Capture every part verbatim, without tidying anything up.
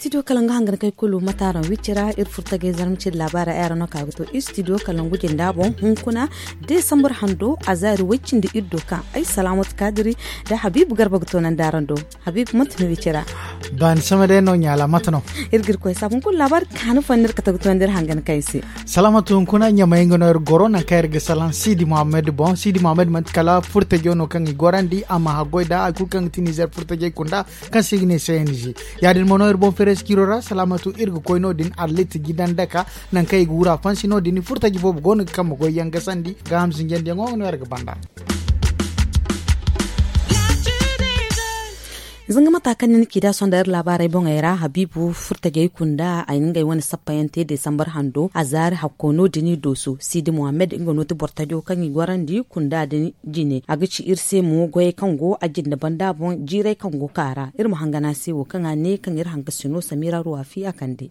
Studio kalangu hangan kay kulu mataran wicira iri furtagay zarma cindi laabaara ay araŋ no ka ga to studio kalangu jinda boŋ hunkuna, desambar hando a zaari way cindi iri do kaŋ ay salaamatu kaadiri nda habiibu garba ga toonandi araŋ do. Habiibu mate no wicira? Baani sama day no ɲaala mate no? Iri ga iri koy saabu hunkuna laabaari kaanu fo no iri ga to ga toonandi iri hangan kay se. Salaamatu hunkuna ɲamay nga no iri goro nangu kaŋ iri ga salaŋ siidi muhammad boŋ siidi muhammad manti kala furtajo no kaŋ i gorandi a ma haggoy nda hari kulu kaŋ ga ti nizer furtajey kunda kaŋ se i ga ne cng. Ya- din mo no iri boŋ fereesi ciiro ra salaamatu iri ga koy no- din arlit jidan daka nangu kaŋ i ga wura fansi no- din furtaji boobo go no ga kambe goy yaŋ gasandi gaaham zinjandiyaŋo no iri ga banda. Zanga mata kaŋ ni na ci da sonda iri laabaarey boŋey ra habiibu furtajey kunda ay na ngey wane sappa yaŋ te desambar hando a zaari hakko no- din i dooso siidi muhammad nga no ti bortajo kaŋ i gorandi kunda din jine a ga ci iri se mo goyey kaŋ go a jinda banda boŋ jiirey kaŋ go ka ra iri ma hangan a se wo kaŋ a ne kaŋ iri hangasino samira ruwafi a kande.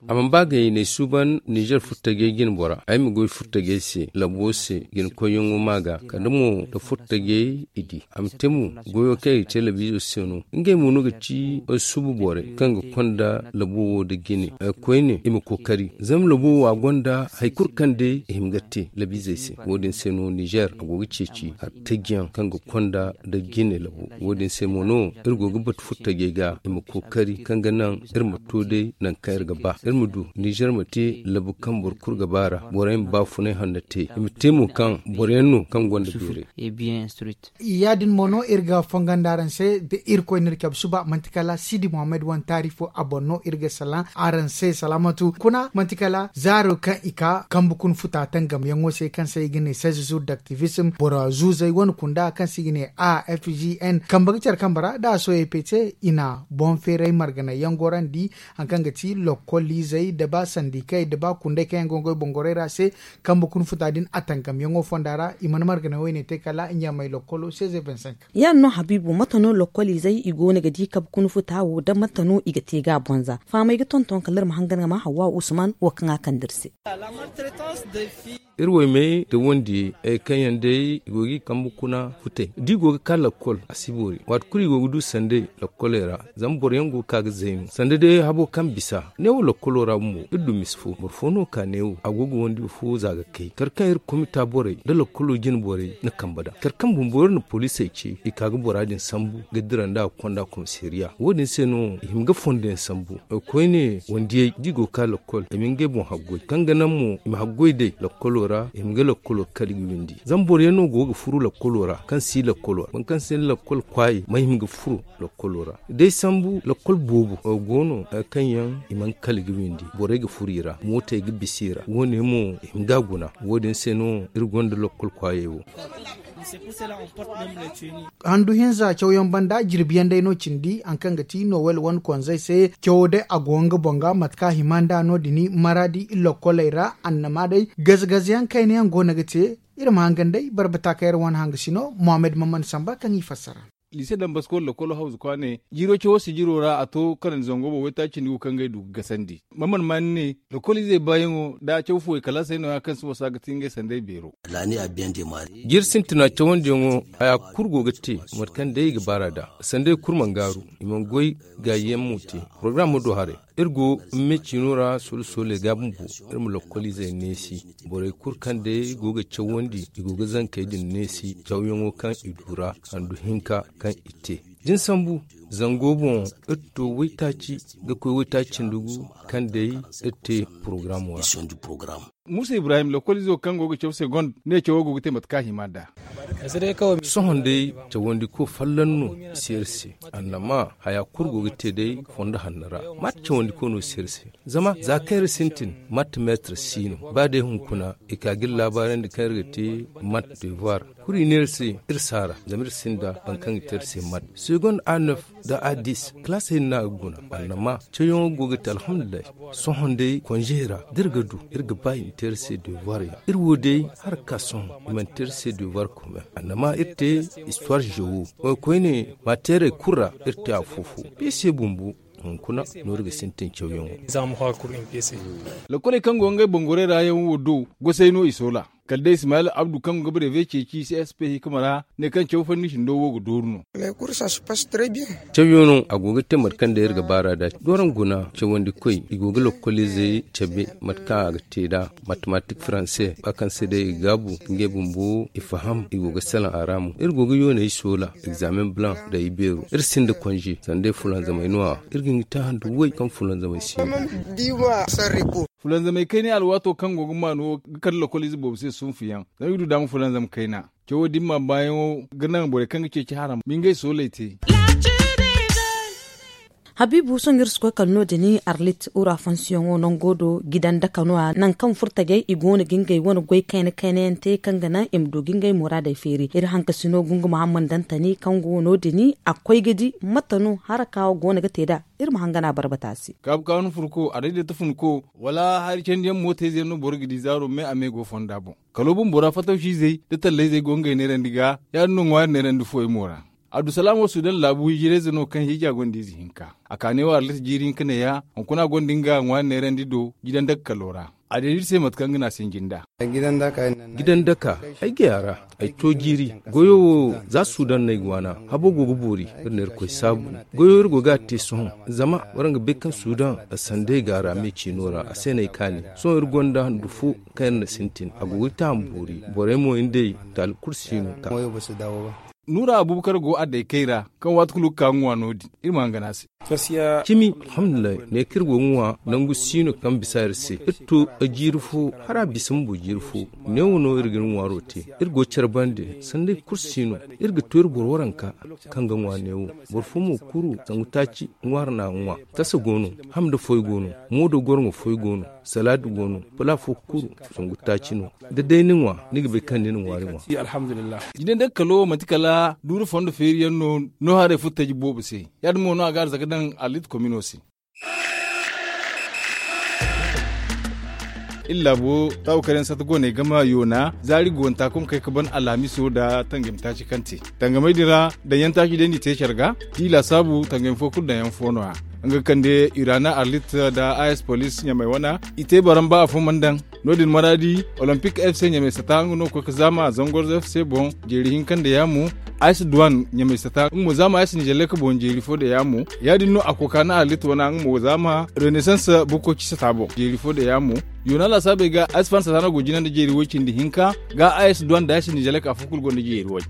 A mana ba gay n'ay suuban nizer furtajey jine bora ay ma goy furtajey se labo se jine koyyaŋo ma ga kala mo nda furtajey i di a ma te mo goyo kaŋ i ga te labiizo se no ngey mo no ga ci ay suuba borey kaŋ ga konda labo wo nda jine. Koyne i ma kookari zama labo wo a gonda hari kulu kaŋ day i hima ga te labiizey se wo- din se no nizer a go ga ceeci hari taji yaŋ kaŋ ga konda nda jine labo wo- din se mo no iri go ga batu furtajey ga i ma kookari kaŋ ga naŋ iri ma to day nangu kaŋ iri ga ba iri ma du nizer ma te labu kaŋ boro kulu ga ba ra borey ma baafunay hanno te i ma te mo kaŋ boro yaŋ no kaŋ gonda beeray. Ya- din mo no iri ga fongondi araŋ se da irkoy n'iri cabe suba manti kala siidi muhammad wane taari fo a boŋ no iri ga salaŋ araŋ se salaamatu kuna manti kala zaaro kaŋ i ka kambe kuna futa tangamyaŋo se kaŋ se i ga ne seize jours d'activisme boro zuuzey wane kunda kaŋ se i ga ne a f g n kambe ga care kambe ra da a sohõ e pece i na boŋ feeray marganay yaŋ gorandi hari kaŋ ga ti lokkoliizey nda ba sandikey nda ba kundey kaŋ yaŋ go ga goy boŋ gorey ra se kambe kuna futa din a tangamyaŋo fonda ra i mana marganay wayne te kala ɲamay lokkolo seize vingt cinq. Ya- din no habiibu mate no lokkoliizey i go no ga di kabe kuna futa wo nda mate no i ga te ga a bonza fahamey ga tonton kala iri ma hangan ga ma hawwa usman wo kaŋ a kande iri se. Iri waymey da wandiyey hari kaŋ yaŋ day i go ga i kambe kuna futey da i go ga ka lakkol a si boori waati kulu i go ga du sanday lakkoley ra. Zama boro yaŋ go ga ka ga zaynu sanda day habo kaŋ bisa neewo lakkolo ra bumbo iri du misi fo boro fo no ka neewo a go ga wandi fo za ga kay kala kaŋ iri komita borey nda lakkolo jine borey na kambe nd'a kala kaŋ bumbo iri na poliisey ce i ka ga bora din sambu ga dira nd'a ga konda komisariya wo- din se no i hima ga fondo yaŋ sambu. Koyne wandiyey da i go ga ka lakkol i ma ngey boŋ haggoy kaŋ ga naŋ mo i ma haggoy day lakkolo ra i ma ga lakkolo kala ga windi zama boro yaŋ no go ga furu lakkolo ra kaŋ si lakkolo ra boro kaŋ si lakkol kwaayey ma hima ga furu lakkolo ra day sambu lakkol boobo go no hari kaŋ yaŋ i mana kala ga windi borey ga furu i ra mootey ga bisa i ra wo- ne mo i ma ga guna wo- din se no iri gonda lakkol kwaayey wo. Handu hinza cawyaŋ banda jirbiyaŋ day no cindi hari kaŋ ga ti nowel wane konzey se cawo day a go nga boŋ ga mate kaŋ a hima nd'a no- din maraadi lokkoley ra annama day gaze-gaze yaŋ kayna yaŋ go no ga te. Iri ma hangan day barbata kaŋ iri wane hangasino mohammed maman samba kaŋ i fassara. Liise dambasko lakkolo hawzu kwaane jiiro cawo sijiro ra a to kanandi zango boŋ waytaaci cindi gu kaŋ ga ay du ga gasandi. Maman ma ni ne lakkoliizey baayaŋo da a caw fuwey kalaasey no- ya kaŋ si wasa ga ti ngey sanday beero. Jiiri sintina cawandiyaŋo haya kulu go ga te mate kaŋ day i ga baar'a nd'a sanday kulu mana gaaru. I mana goy gaayiyaŋ mo te. Porogaram ma du haray. Iri go me ciino ra soola sooley ga bumbo iri ma lakkoliizey neesi. Borey kulu kaŋ day go ga cawandi i go ga zankey din neesi cawyaŋo kaŋ i du ra handu hinka kaŋ i te. Da ni sambu zango boŋ iri to waytaaci ga koy waytaaci cindi gu kaŋ day iri te porogaramo ra. Muusa ibrahim lakkoliizo kaŋ go ga caw se gonda ne cawo go ga te mate kaŋ a hima nd'a. Sohõ day cawandiko folloŋ no si iri se. Annama haya kulu go ga te day fondo hanno ra. Mate cawandiko no si iri se? Zama za kaŋ iri sintin mate meetar si no ba day hunkuna i ka ga iri laabaarandi kaŋ iri ga te mate devoir. Kulu i ne iri se iri si a ra zama iri sinda boro kaŋ ga te iri se mate segonda a neuf da a dis kalaasey no a ga guna. Annama cawyaŋo go ga te alhamdulillahi. Sohõ day konze ra da iri ga du iri ga ba i ma te iri se devoir yaŋ iri wo day hala ga ka sohõ i mana te iri se devoir kome. Annama iri te histoire géo. Koyne mateerey kulu ra iri te afo-fo. Piise bumbo hunkuna no iri ga sintin cawyaŋo. Lakkoley kaŋ go ngey bangorey ra yaŋ wo do gosey no i soola. kala day ismaila abdu kaŋ ga breve ceeci csp hikima ra, ne kaŋ caw fanni sindo wo ga dooru no. Cawyaŋo a go ga te mate kaŋ day iri ga baar'a da doron guna cawandi koy i go ga lokoliizey cabe mate kaŋ a ga te nd'a, matematik faranse ba kaŋ se day i gaabu ngey bumbo i faham i go ga salaŋ a ra mo iri go ga yooney soola egzaamen blanc nda i beero iri sinda konze sanda day fulanzamey no- ya iri ga hin ga te handu way kaŋ fulanzamey si no. Fulanzamey kayna alwaato kaŋ go ga maanu wo ga kande lokoliize boobo se sunfuyaŋ zama i ga du daama fulanzam kayna. Cawo din ma baayaŋo ga naŋ borey kaŋ ga ceeci haram ma ngey sooley te. Habiibu sohõ iri si koy kala no- din arlit ura fonsiyoŋo nango do gidan daka no- ya nangu kaŋ furtajey i go no ga ngey wane goy kayna kayna yaŋ te kaŋ ga naŋ i ma du ga ngey muraadey feeri iri hankasino gungu muhammad dantani kaŋ go no- din a koy ga di mate no haraka wo go no ga te nd'a. Iri ma hangan a barbata se. Kaabu kaanu funko a day day ta funko wala hari candi yaŋ mootayze yaŋ no boro ga di zaaro me a me go fonda boŋ. Kalo bumbo ra fatawsizey nda tallayzey go ngey neerandi ga ya- din no ŋwaari neerandi fuwey mo ra. Abdusalaamo sudan laabu hiijirayze no kaŋ hiija gonda ize hinka. A ka ne wo arlit jiiri hinka neeya hunkuna gonda nga ŋwaari neerandi do jidan daka kalo ra. A deeda iri se mate kaŋ ga ne a sinji nd'a. Gidan daka ay gay a ra. Ay to jiiri goyo wo za sudan no ay ga waana. Habo go ga boori iri na irkoy saabu. Goyo iri go ga a te sohõ zama waraŋ ga bay kaŋ sudan sanday ga a ra me ciino ra a se no ay kaani. Sohõ iri gonda handu fo kaŋ iri na sintin a go ga te a ma boori. Borey mo iri day taali kulu si no ka. Nuura abubakar go a daykey ra kaŋ waati kulu ga ka ga ŋwa no- din iri ma hangan a se. Cimi alhamdulillahi ne kaŋ iri go ga ŋwa nangu si no kaŋ bisa iri se iri to jiiri fo hala a bisa bumbo jiiri fo. Neewo no iri ga iri ŋwaaro te. Iri go care bande sanday kulu si no. Iri ga to iri boro waranka kaŋ ga ŋwa neewo. Boro fo mo kuru zangu taaci ŋwaari no a ga ŋwa. Tasa go no. Ham nda foy go no. Moodo gorŋo foy go no. Salaadi go no. Pala fo kulu zangu taaci no. Da day ni ŋwa ni ga bay kaŋ ni na ŋwaari ŋwa. Jidan day kalo manti kala duuru fondo feeri yaŋ no. No haray furo taji boobo se. Ya- din mo no a ga arzaka daŋ arlit komino se. Iri laabo taabu kar yaŋ sata go no ay game yoona zaari go nta kaŋ kay ga ban alhamiso nda tangam taaci kaŋ te. Tangamey din ra daŋyaŋ taaci day no i te care ga. Ti laasaabu tangam fo kulu daŋyaŋ fo no- ya. Nga ga kande irana arlit nda as police ɲamey wana i te baramba afo mana daŋ. No- din maraadi, olympic fc ɲamey sata nga no ga koy ga zaama zangorzo fc boŋ jeeri hinka nda yaamo. Ice duwan ɲamey sata nga mo zaama ice nizelek boŋ jeeri fo nda yaamo. Ya- din no a koy ga ka na arlit wana nga mo zaama renaissance bukkoci sata boŋ jeeri fo nda yaamo. Yoona laasaabey ga ice fan sata no go jina nda jeeri way cindi hinka. Ga ice duwan nda ice nizelek afo kulu gonda jeeri way.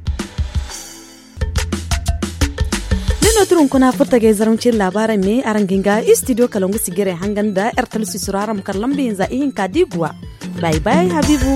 Din no tira hunkuna furtagay zarma ciri laabaarey me araŋ ga hin ga studio kalangu sijiray hangan nda ertel sisiro araŋ ma kar lamba hinza ihinka da i guwa. Bay bay habiibu.